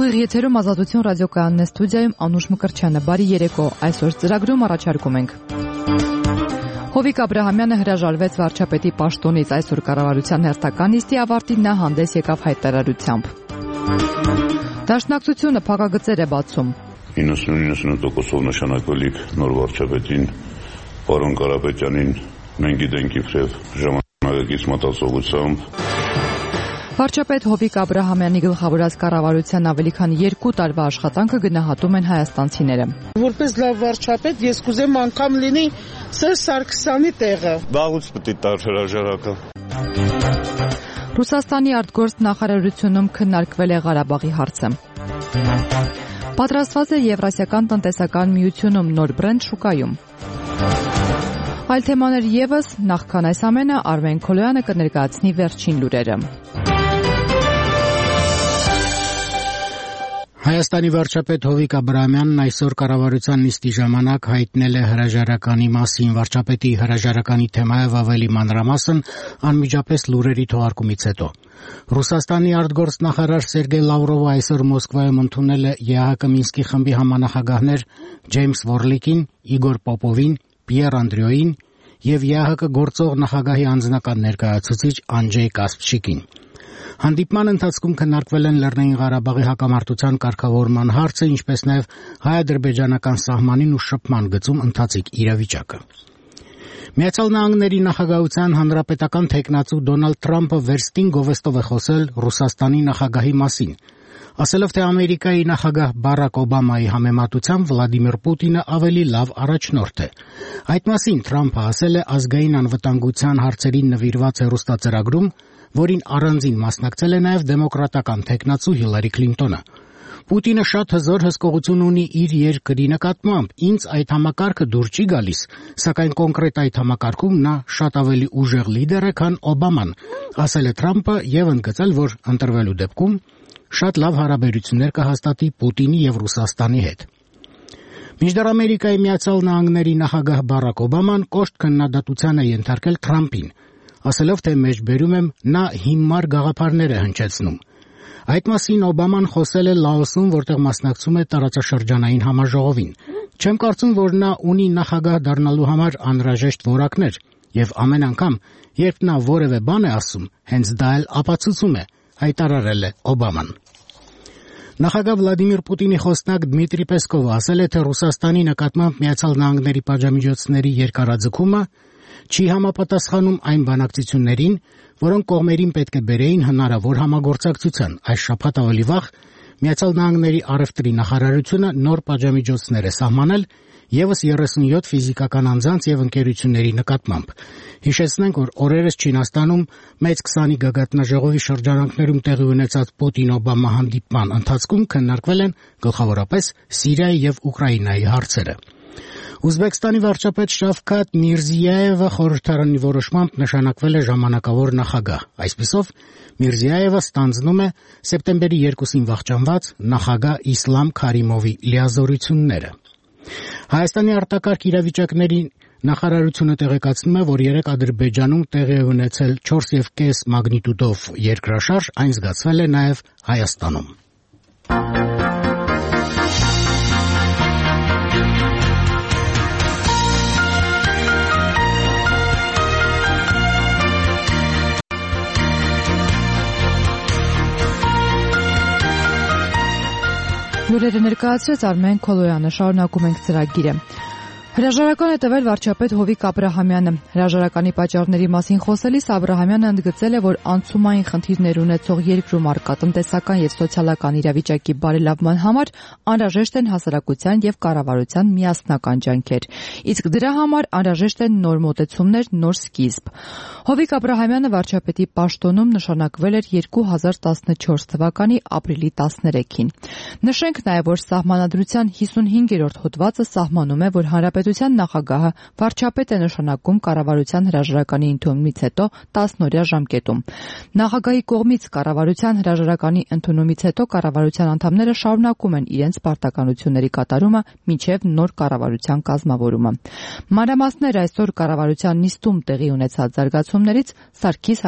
Ուղիղ եթերում Ազատություն ռադիոկայանն է, ստուդիայում Անուշ Մկրտչյանը։ Բարի երեկո, այսօր ծրագրում առաջարկում ենք. Հովիկ Աբրահամյանը հրաժարվեց վարչապետի պաշտոնից, այսօր կառավարության հերթական նիստի ավարտին նա հանդես եկավ հայտարարությամբ։ Դաշնակցությունը փակագծեր է բացում։ 90-90%-ով նշանակվելիք նոր վարչապետին, պարոն Կարապետյանին մենք գիտենք իբրև ժամանակակից մտածողությամբ։ Վարչապետ Հովիկ Աբրահամյանի գլխավորած կառավարության ավելի քան 2 տարվա աշխատանքը գնահատում են հայաստանցիները։ Որպես լավ վարչապետ ես կուզեմ անգամ լինի Սերժ Սարգսյանի տեղը։ Վաղուց պետք է տար հրաժարակը։ Ռուսաստանի արտգործ նախարարությունում քննարկվել է Ղարաբաղի հարցը։ Պատրաստված է Եվրասիական տնտեսական միությունում նոր բրենդ շուկայում։ Այլ թեմաներ ևս, նախքան այս ամենը Արմեն Քոլոյանը կներկայացնի վերջին լուրերը։ Հայաստանի վարչապետ Հովիկ Աբրահամյանն այսօր կառավարության նիստի ժամանակ հայտնել է հրաժարականի մասին։ Վարչապետի հրաժարականի թեմայով ավելի մանրամասն անմիջապես լուրերի թողարկումից հետո։ Ռուսաստանի արտգործ նախարար Սերգեյ Լավրովը այսօր Մոսկվայում ընդունել է ԵԱՀԿ Մինսկի խմբի համանախագահներ Ջեյմս Վորլիկին, Իգոր Պոպովին, Պիեր Անդրեոին եւ ԵԱՀԿ գործող նախագահի անձնական ներկայացուցիչ Անջեյ Կասպչիկին։ Հանդիպման ընթացքում քննարկվել են Լեռնային Ղարաբաղի հակամարտության կարգավորման հարցը, ինչպես նաև հայ-ադրբեջանական սահմանին ու շփման գծում ընթացիկ իրավիճակը։ Միացյալ Նահանգների նախագահության հանրապետական թեկնածու Դոնալդ Թրամփը վերստին գովեստով է խոսել Ռուսաստանի նախագահի մասին, ասելով, թե Ամերիկայի նախագահ Բարակ Օբամայի համեմատությամբ Վլադիմիր Պուտինը ավելի լավ առաջնորդ է։ Այդ մասին Թրամփը ասել է ազգային անվտանգության հարցերին նվիրված հեռուստածրագրում, որին առանձին մասնակցել է նաև դեմոկրատական թեկնածու Հիլարի Քլինտոնը։ Պուտինը շատ հզոր հսկողություն ունի իր երկրի նկատմամբ, ինձ այդ համակարգը դուր չի գալիս, սակայն կոնկրետ այդ համակարգում նա շատ ավելի ուժեղ լիդեր է, քան Օբաման, ասել է Թրամփը եւ ընդգծել, որ ընտրվելու դեպքում շատ լավ հարաբերություններ կհաստատի Պուտինի եւ Ռուսաստանի հետ։ Մինչդեռ Ամերիկայի Միացյալ Նահանգների նախագահ Բարակ Օբաման կոշտ քննադատության է ենթարկել Թրամփին, ասելով, թե մեջբերում եմ նա հիմար գաղափարներ է հնչեցնում։ Այդ մասին Օբաման խոսել է Լաոսում, որտեղ մասնակցում է տարածաշրջանային համաժողովին։ Չեմ կարծում, որ նա ունի նախագահ դառնալու համար անհրաժեշտ որակներ, եւ ամեն անգամ, երբ նա որևէ բան է ասում, հենց դա էլ ապացուցում է, հայտարարել է Օբաման։ Նախագահ Վլադիմիր Պուտինի խոսնակ Դմիտրի Պեսկովը ասել է, թե Ռուսաստանի նկատմամբ Միացյալ Նահանգների պատժամիջոցների երկարաձգումը չի համապատասխանում այն բանակցություններին, որոնք կողմերին պետք է բերեին հնարավոր համագործակցության։ Այս շաբաթ ավելի վաղ Միացյալ Նահանգների առևտրի նախարարությունը նոր պատժամիջոցներ է սահմանել եւս 37 ֆիզիկական անձանց եւ ընկերությունների նկատմամբ։ Հիշեցնենք, որ օրերս Չինաստանում մեծ 20-ի գագաթնաժողովի շրջանակներում տեղի ունեցած Պուտին-Օբամա հանդիպման ընթացքում քննարկվել են գլխավորապես Սիրիայի եւ Ուկրաինայի հարցերը։ Ուզբեկստանի վարչապետ Շավքաթ Միրզիայևը խորհրդարանի որոշմամբ նշանակվել է ժամանակավոր նախագահ։ Այսպիսով Միրզիայևը ստանձնում է սեպտեմբերի 2-ին վախճանված նախագահ Իսլամ Քարիմովի լիազորությունները։ Հայաստանի արտակարգ իրավիճակների նախարարությունը տեղեկացնում է, որ երեկ Ադրբեջանում տեղի է ունեցել 4.5 մագնիտուդով երկրաշարժ, այն զգացվել է նաև Հայաստանում։ Լուրերը ներկայացրեց Արմեն Քոլոյանը, շարունակում ենք ծրագիրը։ Հրաժարական է տվել վարչապետ Հովիկ Աբրահամյանը։ Հրաժարականի պատճառների մասին խոսելիս Աբրահամյանը ընդգծել է, որ անցումային խնդիրներ ունեցող երկրում առկա տնտեսական եւ սոցիալական իրավիճակի բարելավման համար անհրաժեշտ են հասարակության եւ կառավարության միասնական ջանքեր, իսկ դրա համար անհրաժեշտ են նոր մոտեցումներ, նոր սկիզբ։ Հովիկ Աբրահամյանը վարչապետի պաշտոնում նշանակվել էր 2014 թվականի ապրիլի 13-ին։ Նշենք նաեւ, որ Սահմանադրության 55-րդ հոդվածը սահմանում է, որ Հանրապետության նախագահը վարչապետ է նշանակում կառավարության հրաժարականի ընդունումից հետո 10-օրյա ժամկետում։ Նախագահի կողմից կառավարության հրաժարականի ընդունումից հետո կառավարության անդամները շարունակում են իրենց պարտականությունների կատարումը մինչև նոր կառավարության կազմավորումը։ Մանրամասներ այսօր կառավարության նիստում տեղի ունեցած զարգացումներից Սարգիս